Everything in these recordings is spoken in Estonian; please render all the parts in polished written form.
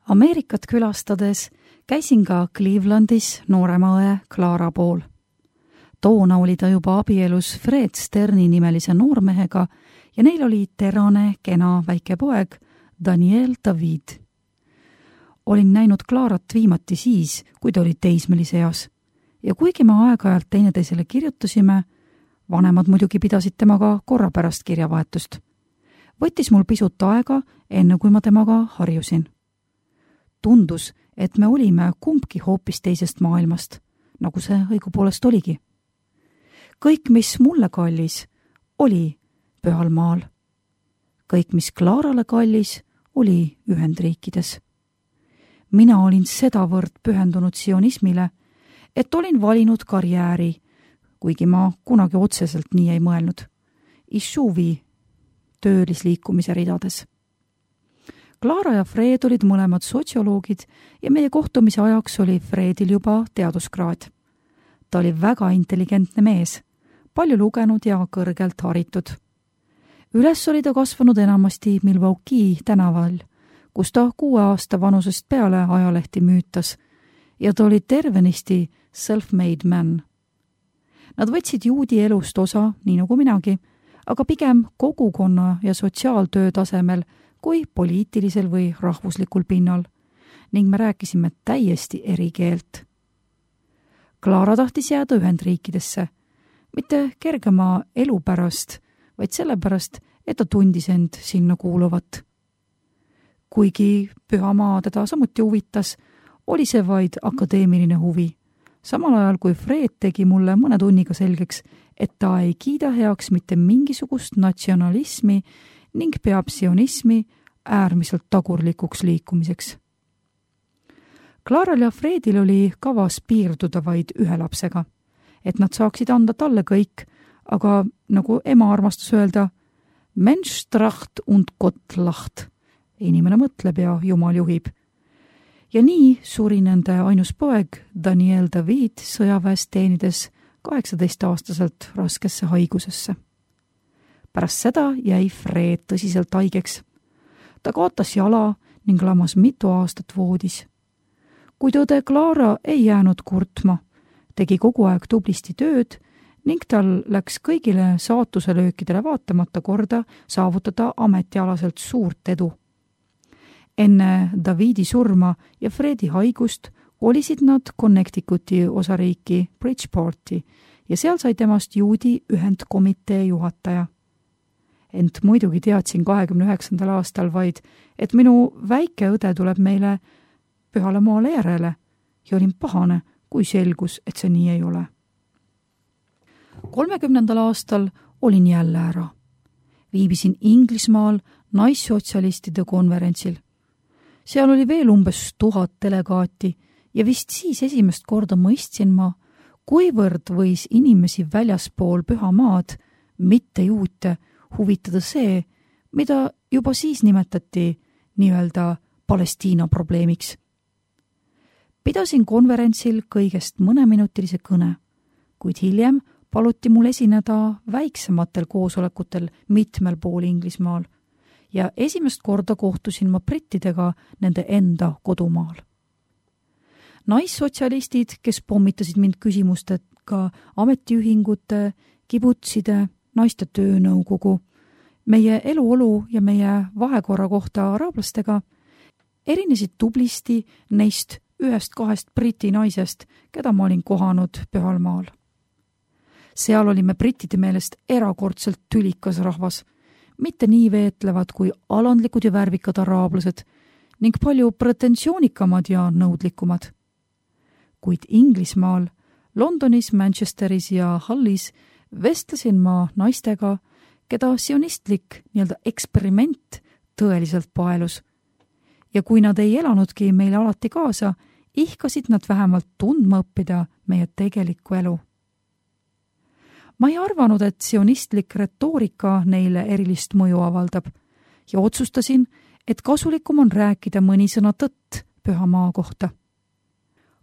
Ameerikat külastades käisin ka Clevelandis noorema õe Clara pool. Toona oli ta juba abielus Fred Sterni nimelise noormehega ja neil oli terane, kena väike poeg Daniel David. Olin näinud Clarat viimati siis, kui ta oli teismelise eas. Ja kuigi me aeg-ajalt teineteisele kirjutasime, vanemad muidugi pidasid temaga korrapärast kirjavahetust. Võttis mul pisut aega, enne kui ma temaga harjusin. Tundus, et me olime kumbki hoopis teisest maailmast, nagu see õigupoolest oligi. Kõik, mis mulle kallis, oli Pühal maal. Kõik, mis Clarale kallis, oli Ühendriikides. Mina olin sedavõrd pühendunud sionismile, et olin valinud karjääri, kuigi ma kunagi otseselt nii ei mõelnud, Ishuvi töölisliikumise ridades. Clara ja Fred olid mõlemad sotsioloogid ja meie kohtumise ajaks oli Fredil juba teaduskraad. Ta oli väga intelligentne mees, palju lugenud ja kõrgelt haritud. Üles oli ta kasvanud enamasti Milwaukee tänaval, kus ta 6 aasta vanusest peale ajalehti müütas ja ta oli tervenisti self-made man. Nad võtsid juudi elust osa, nii nagu minagi, aga pigem kogukonna ja sotsiaaltöö tasemel kui poliitilisel või rahvuslikul pinnal ning me rääkisime täiesti eri keelt. Clara tahtis jääda Ühendriikidesse, mitte kergema elu pärast, vaid sellepärast, et ta tundis end sinna kuuluvat. Kuigi Pühamaa teda samuti huvitas, oli see vaid akadeemiline huvi, samal ajal kui Fred tegi mulle mõne tunniga selgeks, et ta ei kiida heaks mitte mingisugust natsionalismi ning peab sionismi äärmiselt tagurlikuks liikumiseks. Claral ja Fredil oli kavas piirduda vaid 1 lapsega, et nad saaksid anda talle kõik, aga nagu ema armastas öelda, Mensch tracht und Gott lacht. Inimene mõtleb ja Jumal juhib. Ja nii suri nende ainus poeg Daniel David sõjaväes teenides 18-aastaselt raskesse haigusesse. Pärast seda jäi Fred tõsiselt haigeks. Ta kaotas jala ning lamas mitu aastat voodis. Kuid õde Clara ei jäänud kurtma, tegi kogu aeg tublisti tööd ning tal läks kõigile saatuselöökidele vaatamata korda saavutada ametialaselt suurt edu. Enne Davidi surma ja Fredi haigust kolisid nad Connecticuti osariiki Bridgeporti ja seal sai temast juudi ühendkomitee juhataja. Ent muidugi teadsin 29. aastal vaid, et minu väike õde tuleb meile Pühale maale järele ja olin pahane, kui selgus, et see nii ei ole. 30. aastal olin jälle ära. Viibisin Inglismaal naissotsialistide konverentsil. Seal oli veel umbes 1000 delegaati ja vist siis esimest korda mõistsin ma, kuivõrd võis inimesi väljaspool Püha maad, mitte juute, huvitada see, mida juba siis nimetati nii-öelda Palestiina probleemiks. Pidasin konverentsil kõigest mõneminutilise kõne, kuid hiljem paluti mul esineda väiksematel koosolekutel mitmel pool Inglismaal ja esimest korda kohtusin ma brittidega nende enda kodumaal. Naissotsialistid, kes pommitasid mind küsimustega ametiühingute, kibutside, naiste töönõukogu, meie eluolu ja meie vahekorra kohta araablastega, erinesid tublisti neist 1-2 briti naisest, keda ma olin kohanud Pühal maal. Seal olime brittide meelest erakordselt tülikas rahvas, mitte nii veetlevad kui alandlikud ja värvikad araablased ning palju pretensioonikamad ja nõudlikumad. Kuid Inglismaal, Londonis, Manchesteris ja Hullis vestlesin ma naistega, keda sionistlik nii-öelda eksperiment tõeliselt paelus. Ja kui nad ei elanudki meile alati kaasa, ihkasid nad vähemalt tundma õppida meie tegelikku elu. Ma ei arvanud, et sionistlik retoorika neile erilist mõju avaldab ja otsustasin, et kasulikum on rääkida mõni sõna tõtt Püha maa kohta.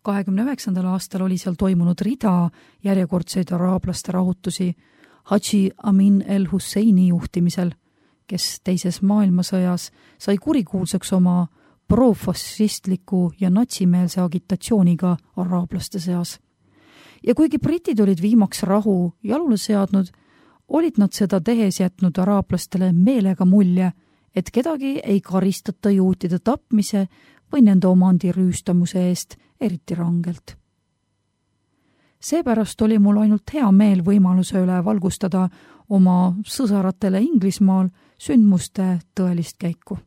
29. aastal oli seal toimunud rida järjekordseid araablaste rahutusi Hadži Amin el-Husseini juhtimisel, kes teises maailmasõjas sai kurikuulsaks oma profašistliku ja natsimeelse agitatsiooniga araablaste seas. Ja kuigi britid olid viimaks rahu jalule seadnud, olid nad seda tehes jätnud araablastele meelega mulje, et kedagi ei karistata juutide tapmise või nende omandi rüüstamuse eest eriti rangelt. Seepärast oli mul ainult hea meel võimaluse üle valgustada oma sõsaratele Inglismaal sündmuste tõelist käiku.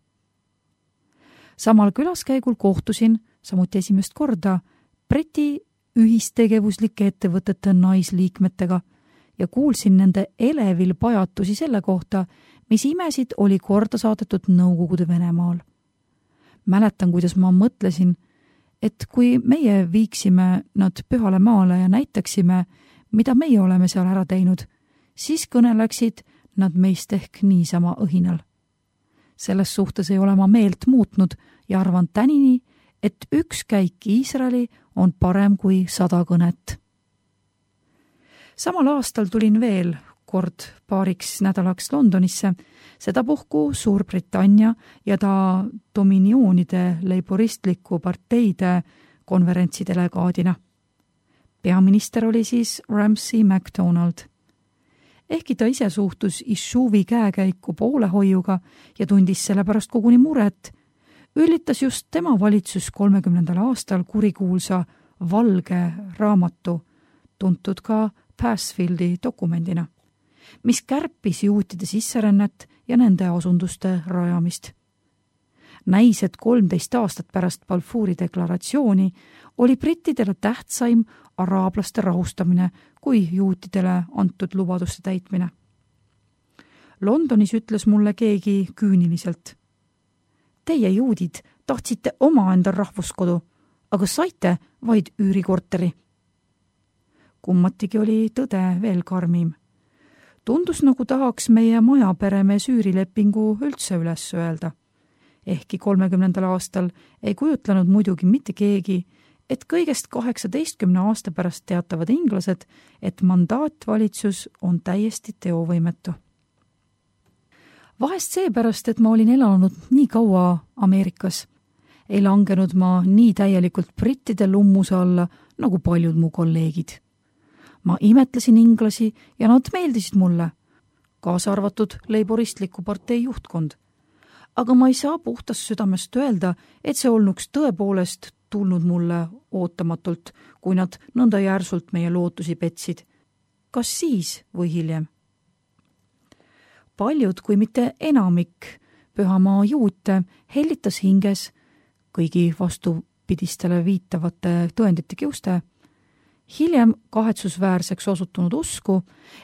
Samal külaskäigul kohtusin, samuti esimest korda, Briti ühistegevuslike ettevõtete naisliikmetega ja kuulsin nende elevil pajatusi selle kohta, mis imesid oli korda saadetud Nõukogude Venemaal. Mäletan, kuidas ma mõtlesin, et kui meie viiksime nad pühale maale ja näitaksime, mida meie oleme seal ära teinud, siis kõneleksid nad meist ehk niisama õhinal. Selles suhtes ei ole ma meelt muutnud ja arvan tänini, et üks käik Iisraeli on parem kui 100 kõnet. Samal aastal tulin veel kord paariks nädalaks Londonisse, sedapuhku Suurbritannia ja ta dominioonide leiboristliku parteide konverentsi delegaadina. Peaminister oli siis Ramsay MacDonald. Ehkki ta ise suhtus Ishuvi käekäiku poolehoiuga ja tundis sellepärast koguni muret, üllitas just tema valitsus 30. aastal kurikuulsa valge raamatu, tuntud ka Passfieldi dokumendina, mis kärpis juutide sisserännet ja nende asunduste rajamist. Näis, et 13 aastat pärast Balfouri deklaratsiooni oli brittidele tähtsaim araablaste rahustamine kui juutidele antud lubaduste täitmine. Londonis ütles mulle keegi küüniliselt: "Teie juudid tahtsite omaenda rahvuskodu, aga saite vaid üürikorteri." Kummatigi oli tõde veel karmim. Tundus, nagu tahaks meie majaperemees üürilepingu üldse üles öelda. Ehkki 30. aastal ei kujutlenud muidugi mitte keegi, et kõigest 18 aasta pärast teatavad inglased, et mandaatvalitsus on täiesti teovõimetu. Vahest seepärast, et ma olin elanud nii kaua Ameerikas, ei langenud ma nii täielikult brittide lummuse alla nagu paljud mu kolleegid. Ma imetlesin inglasi ja nad meeldisid mulle, kaasa arvatud leiboristliku partei juhtkond. Aga ma ei saa puhtast südamest öelda, et see olnuks tõepoolest tulnud mulle ootamatult, kui nad nõnda järsult meie lootusi petsid. Kas siis või hiljem? Paljud, kui mitte enamik pühamaa juute hellitas hinges kõigi vastupidistele viitavate tõendite kiuste, hiljem kahetsusväärseks osutunud usku,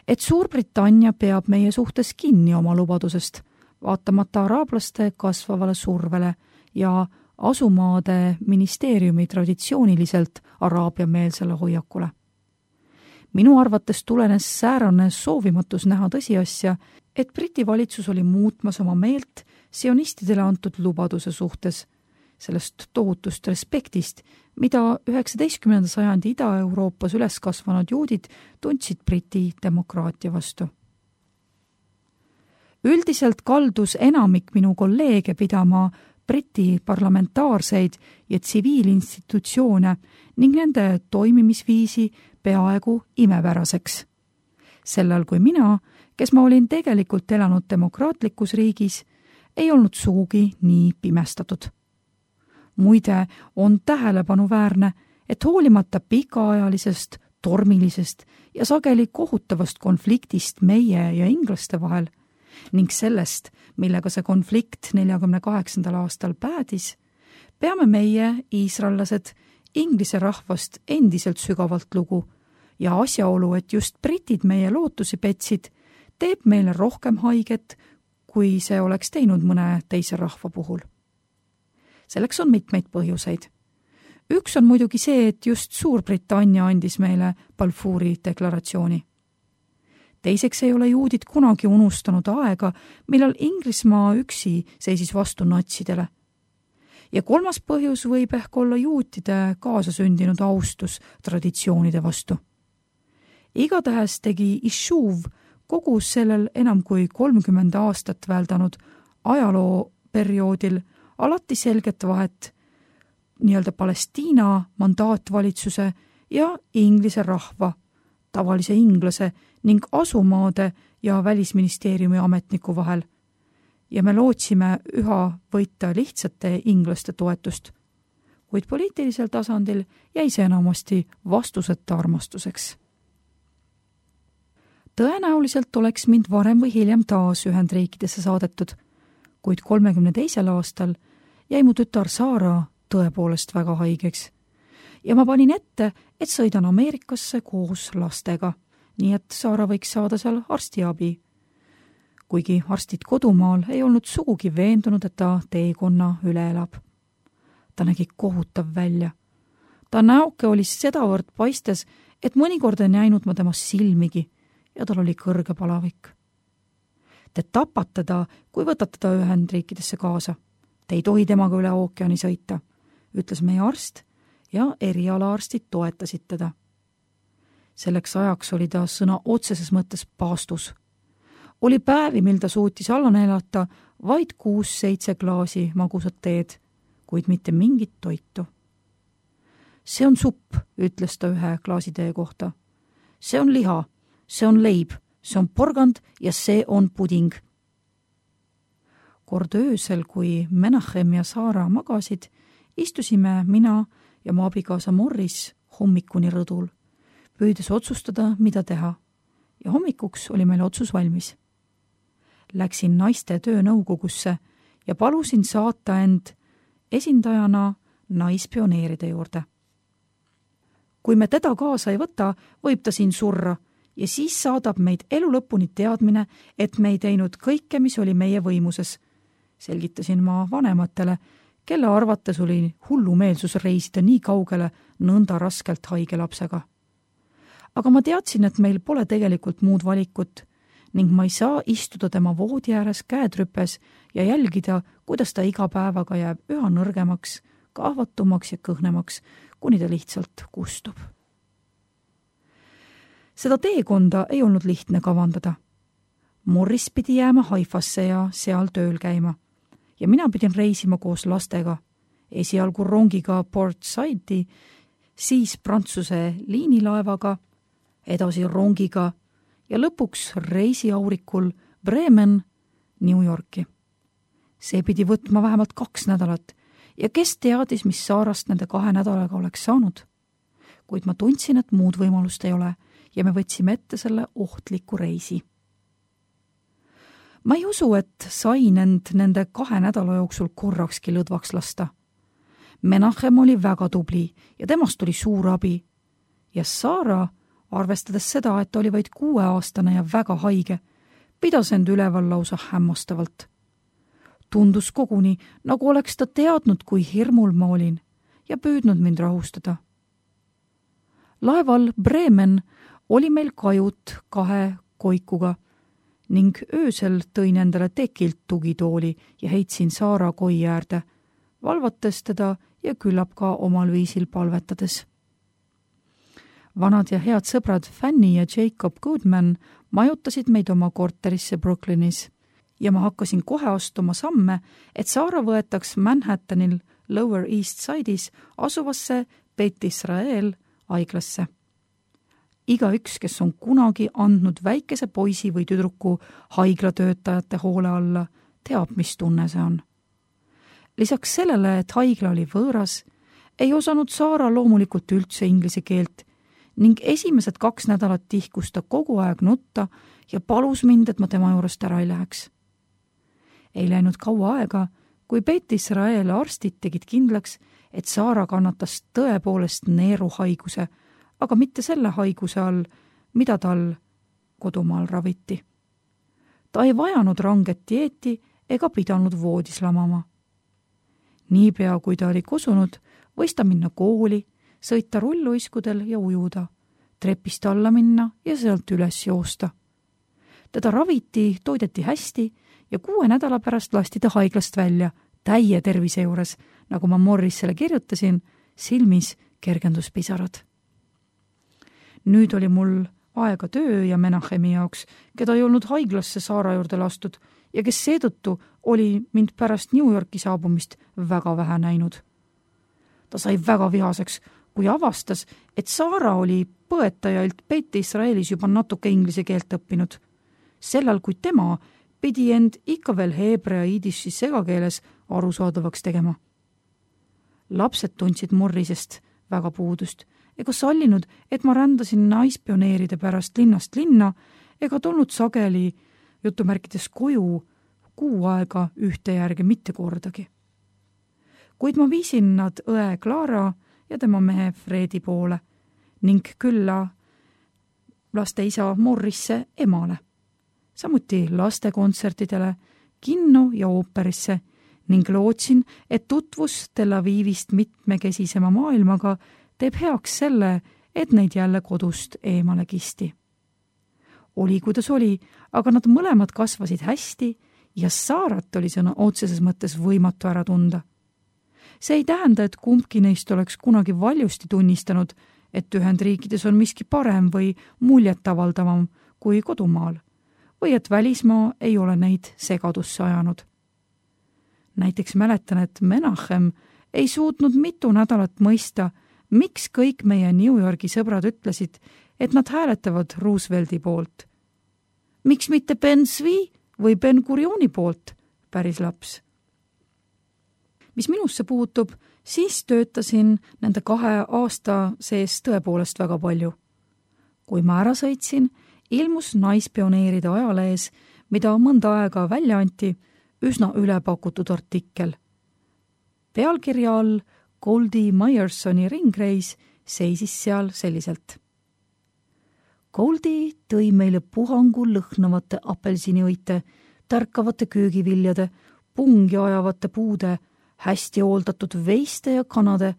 et Suurbritannia peab meie suhtes kinni oma lubadusest, vaatamata araablaste kasvavale survele ja asumaade ministeeriumi traditsiooniliselt araabiameelsele hoiakule. Minu arvates tulenes säärane soovimatus näha tõsiasja, et Briti valitsus oli muutmas oma meelt sionistidele antud lubaduse suhtes, sellest tohutust respektist, mida 19. sajandi Ida-Euroopas üles kasvanud juudid tundsid Briti demokraatia vastu. Üldiselt kaldus enamik minu kolleege pidama Briti parlamentaarseid ja tsiviilinstitutsioone ning nende toimimisviisi peaaegu imepäraseks. Sellal kui mina, kes ma olin tegelikult elanud demokraatlikus riigis, ei olnud sugugi nii pimestatud. Muide, on tähelepanuväärne, et hoolimata pikaajalisest, tormilisest ja sageli kohutavast konfliktist meie ja inglaste vahel ning sellest, millega see konflikt 48. aastal päädis, peame meie, iisraellased, inglise rahvast endiselt sügavalt lugu ja asjaolu, et just britid meie lootusi petsid, teeb meile rohkem haiget, kui see oleks teinud mõne teise rahva puhul. Selleks on mitmeid põhjuseid. Üks on muidugi see, et just Suurbritannia andis meile Balfouri deklaratsiooni. Teiseks ei ole juudid kunagi unustanud aega, millal Inglismaa üksi seisis vastu natsidele. Ja kolmas põhjus võib ehk olla juutide kaasasündinud austus traditsioonide vastu. Igatahes tegi Ishuv kogu sellel enam kui 30 aastat väldanud ajalooperioodil alati selget vahet nii-öelda Palestiina mandaatvalitsuse ja Inglise rahva, tavalise inglase ning asumaade ja välisministeeriumi ametniku vahel. Ja me lootsime üha võita lihtsate inglaste toetust, kuid poliitilisel tasandil jäi see enamasti vastuseta armastuseks. Tõenäoliselt oleks mind varem või hiljem taas Ühendriikidesse saadetud, kuid 32. aastal jäi mu tütar Saara tõepoolest väga haigeks. Ja ma panin ette, et sõidan Ameerikasse koos lastega, nii et Saara võiks saada seal arstiabi. Kuigi arstid kodumaal ei olnud sugugi veendunud, et ta teekonna üle elab. Ta nägi kohutav välja. Ta näoke oli sedavõrd paistes, et mõnikord ei näinud ma temast silmigi ja tal oli kõrge palavik. Te tapate teda, kui võtate ta Ühendriikidesse kaasa. Te ei tohi temaga üle ookeani sõita, ütles meie arst ja erialaarstid toetasid teda. Selleks ajaks oli ta sõna otseses mõttes paastus. Oli päevi, mil ta suutis alla neelata vaid 6-7 klaasi magusat teed, kuid mitte mingit toitu. See on supp, ütles ta ühe klaasi tee kohta. See on liha, see on leib, see on porgand ja see on puding. Kord öösel, kui Menachem ja Saara magasid, istusime mina ja mu abikaasa Morris hommikuni rõdul, püüdes otsustada, mida teha. Ja hommikuks oli meil otsus valmis. Läksin naiste töönõukogusse ja palusin saata end esindajana naispioneeride juurde. Kui me teda kaasa ei võta, võib ta siin surra ja siis saadab meid elu lõpuni teadmine, et me ei teinud kõike, mis oli meie võimuses. Selgitasin ma vanematele, kelle arvates oli hullumeelsus reisida nii kaugele nõnda raskelt haige lapsega. Aga ma teadsin, et meil pole tegelikult muud valikut ning ma ei saa istuda tema voodi ääres käed rüpes ja jälgida, kuidas ta iga päevaga jääb üha nõrgemaks, kahvatumaks ja kõhnemaks, kuni ta lihtsalt kustub. Seda teekonda ei olnud lihtne kavandada. Morris pidi jääma Haifasse ja seal tööl käima. Ja mina pidin reisima koos lastega, esialgu rongiga Port Saidi, siis Prantsuse liinilaevaga, edasi rongiga ja lõpuks reisiaurikul Bremen, New Yorki. See pidi võtma vähemalt 2 nädalat ja kes teadis, mis Saarast nende 2 nädalaga oleks saanud. Kuid ma tundsin, et muud võimalust ei ole ja me võtsime ette selle ohtliku reisi. Ma ei usu, et sain end nende 2 nädala jooksul korrakski lõdvaks lasta. Menachem oli väga tubli ja temast oli suur abi. Ja Saara, arvestades seda, et oli vaid 6-aastane ja väga haige, pidas end üleval lausa hämmastavalt. Tundus koguni, nagu oleks ta teadnud, kui hirmul ma olin ja püüdnud mind rahustada. Laeval Bremen oli meil kajut 2 koikuga ning öösel tõin endale tekilt tugitooli ja heitsin Saara koi äärde, valvates teda ja küllap ka omal viisil palvetades. Vanad ja head sõbrad Fanny ja Jacob Goodman majutasid meid oma korterisse Brooklynis ja ma hakkasin kohe astuma samme, et Saara võetaks Manhattanil Lower East Side'is asuvasse Beit Israel haiglasse. Igaüks, kes on kunagi andnud väikese poisi või tüdruku haiglatöötajate hoole alla, teab, mis tunne see on. Lisaks sellele, et haigla oli võõras, ei osanud Saara loomulikult üldse inglise keelt ning esimesed 2 nädalat tihkus ta kogu aeg nutta ja palus mind, et ma tema juurest ära ei läheks. Ei läinud kaua aega, kui Beit Israel arstid tegid kindlaks, et Saara kannatas tõepoolest neeruhaiguse, aga mitte selle haiguse all, mida tal kodumaal raviti. Ta ei vajanud ranget dieeti ega pidanud voodis lamama. Niipea, kui ta oli kosunud, võis ta minna kooli, sõita rulluiskudel ja ujuda, trepist alla minna ja sealt üles joosta. Teda raviti, toideti hästi ja 6 nädala pärast lasti ta haiglast välja, täie tervise juures, nagu ma Morrisele kirjutasin, silmis kergenduspisarad. Nüüd oli mul aega töö ja Menachemi jaoks, keda ei olnud haiglasse Saara juurde lastud ja kes seetõttu oli mind pärast New Yorki saabumist väga vähe näinud. Ta sai väga vihaseks, kui avastas, et Saara oli põetajalt Beit Israelis juba natuke inglise keelt õppinud. Sellal, kui tema pidi end ikka veel heebrea iidissi segakeeles arusaadavaks tegema. Lapsed tundsid murrisest väga puudust ega sallinud, et ma rändasin naispioneeride pärast linnast linna ega tulnud sageli jutumärkides koju kuu aega ühte järge mitte kordagi. Kuid ma viisin nad õe Clara ja tema mehe Fredi poole ning külla laste isa Morrisse emale, samuti lastekontsertidele, kinno ja ooperisse ning lootsin, et tutvus Tel Avivist mitmekesisema maailmaga teeb heaks selle, et neid jälle kodust eemale kisti. Oli, kuidas oli, aga nad mõlemad kasvasid hästi ja Saarat oli sõna otseses mõttes võimatu ära tunda. See ei tähenda, et kumbki neist oleks kunagi valjusti tunnistanud, et Ühendriikides on miski parem või muljetavaldavam kui kodumaal või et välismaa ei ole neid segadusse ajanud. Näiteks mäletan, et Menachem ei suutnud mitu nädalat mõista, miks kõik meie New Yorgi sõbrad ütlesid, et nad hääletavad Roosevelti poolt. Miks mitte Ben Zvi või Ben Gurioni poolt, päris laps. Mis minusse puutub, siis töötasin nende 2 aasta sees tõepoolest väga palju. Kui ma ära sõitsin, ilmus naispioneeride ajalehes, mida mõnda aega välja anti, üsna ülepakutud artikkel. Pealkirja all Goldie Myersoni ringreis seisis seal selliselt. Goldie tõi meile puhangu lõhnavate apelsiniõite, tärkavate köögiviljade, pungi ajavate puude, hästi hooldatud veiste ja kanade,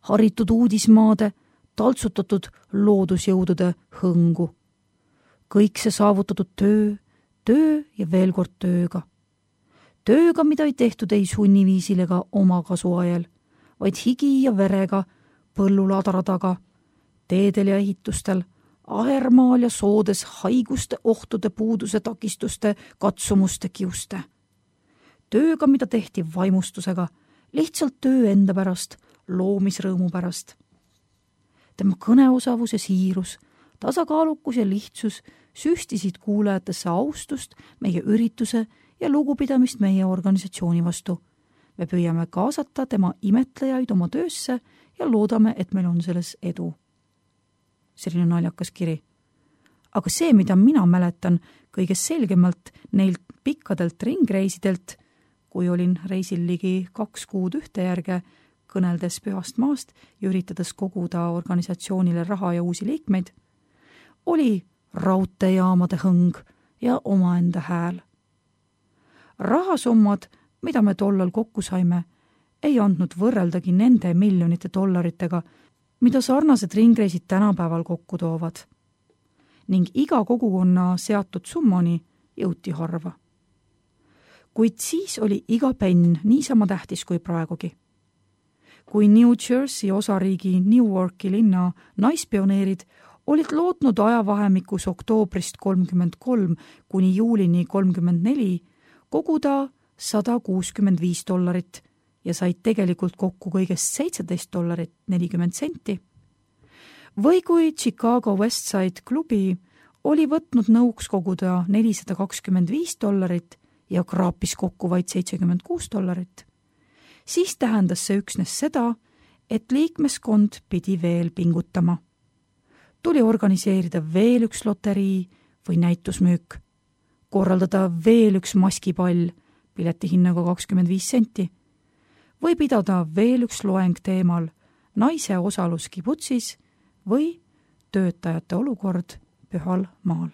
haritud uudismaade, taltsutatud loodusjõudude hõngu. Kõik see saavutatud töö ja veel kord tööga. Tööga, mida ei tehtud ei sunniviisil ega oma kasuajel, vaid higi ja verega, põllulaadara taga, teedel ja ehitustel, ahermaal ja soodes haiguste, ohtude, puuduse, takistuste, katsumuste, kiuste. Tööga, mida tehti vaimustusega, lihtsalt töö enda pärast, loomisrõõmu pärast. Tema kõneosavus ja siirus, tasakaalukus ja lihtsus süstisid kuulajatesse austust meie ürituse ja lugupidamist meie organisatsiooni vastu. Me püüame kaasata tema imetlejaid oma töösse ja loodame, et meil on selles edu. Selline naljakas kiri. Aga see, mida mina mäletan kõige selgemalt neilt pikkadelt ringreisidelt, kui olin reisil ligi 2 kuud ühte järge, kõneldes pühast maast ja üritades koguda organisatsioonile raha ja uusi liikmeid, oli raudteejaamade hõng ja omaenda hääl. Rahasummad, mida me tollal kokku saime, ei andnud võrreldagi nende miljonite dollaritega, mida sarnased ringreisid tänapäeval kokku toovad. Ning iga kogukonna seatud summani jõuti harva. Kuid siis oli iga penn niisama tähtis kui praegugi. Kui New Jersey osariigi Newarki linna naispioneerid olid lootnud ajavahemikus oktoobrist 33 kuni juulini 34 koguda $165 ja said tegelikult kokku kõigest $17.40. Või kui Chicago Westside klubi oli võtnud nõuks koguda $425 ja kraapis kokku vaid $76, siis tähendas see üksnes seda, et liikmeskond pidi veel pingutama. Tuli organiseerida veel üks loterii või näitusmüük, korraldada veel üks maskipall, pileti hinnaga 25 senti, või pidada veel üks loeng teemal naise osalus kibutsis või töötajate olukord Pühal maal.